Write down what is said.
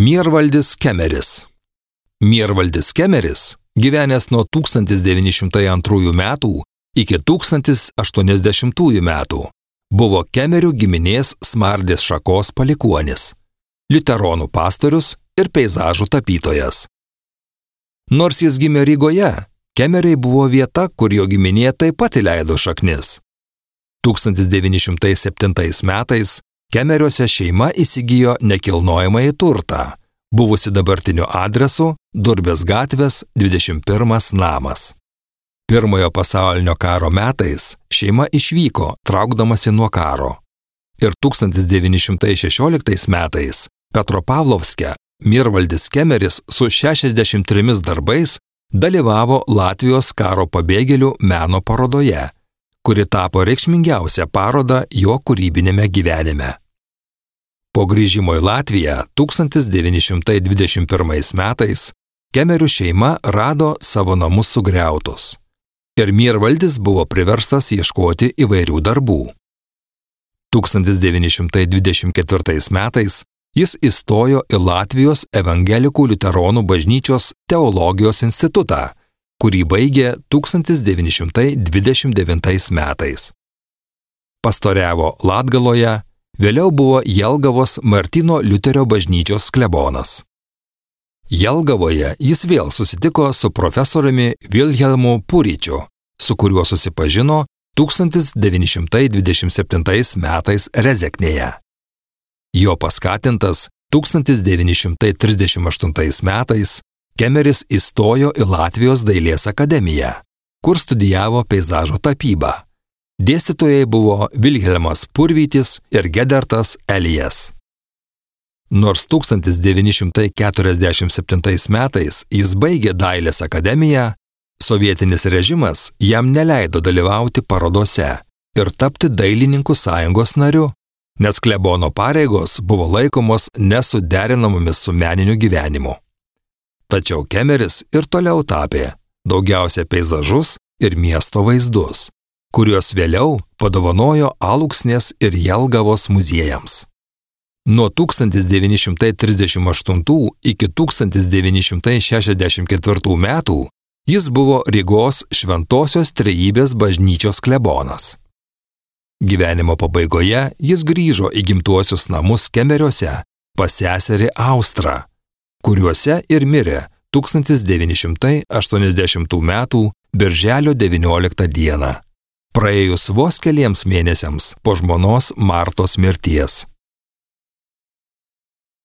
Miervaldis Kemeris. Miervaldis Kemeris, gyvenęs nuo 1902 metų iki 1080 metų, buvo Kemerių giminės Smardės šakos palikuonis, liuteronų pastorius ir peizažų tapytojas. Nors jis gimė Rygoje, Kemeriai buvo vieta, kur jo giminė taip pat įleido šaknis. 1907 metais Kemeriuose šeima įsigijo nekilnojamąjį turtą, buvusi dabartiniu adresu Durbės gatvės 21 namas. Pirmojo pasaulinio karo metais šeima išvyko, traukdamasi nuo karo. Ir 1916 metais Petropavlovske Miervaldis Kemeris su 63 darbais dalyvavo Latvijos karo pabėgėlių meno parodoje, kuri tapo reikšmingiausia paroda jo kūrybinėme gyvenime. Po grįžimo į Latviją 1921 metais Kemerių šeima rado savo namus sugriautus ir Miervaldis buvo priverstas ieškoti įvairių darbų. 1924 metais jis įstojo į Latvijos evangelikų liuteronų bažnyčios teologijos institutą, kurį baigė 1929 metais. Pastoriavo Latgaloje, vėliau buvo Jelgavos Martyno Liuterio bažnyčios klebonas. Jelgavoje jis vėl susitiko su profesoriumi Vilhelmu Puričiu, su kuriuo susipažino 1927 metais Rezeknėje. Jo paskatintas 1938 metais Kemeris įstojo į Latvijos dailės akademiją, kur studijavo peizažo tapybą. Dėstytojai buvo Vilhelmas Purvytis ir Gedertas Elijas. Nors 1947 metais jis baigė dailės akademiją, sovietinis režimas jam neleido dalyvauti parodose ir tapti dailininkų sąjungos nariu, nes klebono pareigos buvo laikomos nesuderinamomis su meniniu gyvenimu. Tačiau Kemeris ir toliau tapė daugiausia peizažus ir miesto vaizdus, kuriuos vėliau padovanojo Alūksnės ir Jelgavos muziejams. Nuo 1938 iki 1964 metų jis buvo Rygos Šventosios Trejybės bažnyčios klebonas. Gyvenimo pabaigoje jis grįžo į gimtuosius namus Kemeriuose pas seserį Austrą, kuriuose ir mirė 1980 metų birželio 19 dieną, praėjus vos keliems mėnesiams po žmonos Martos mirties.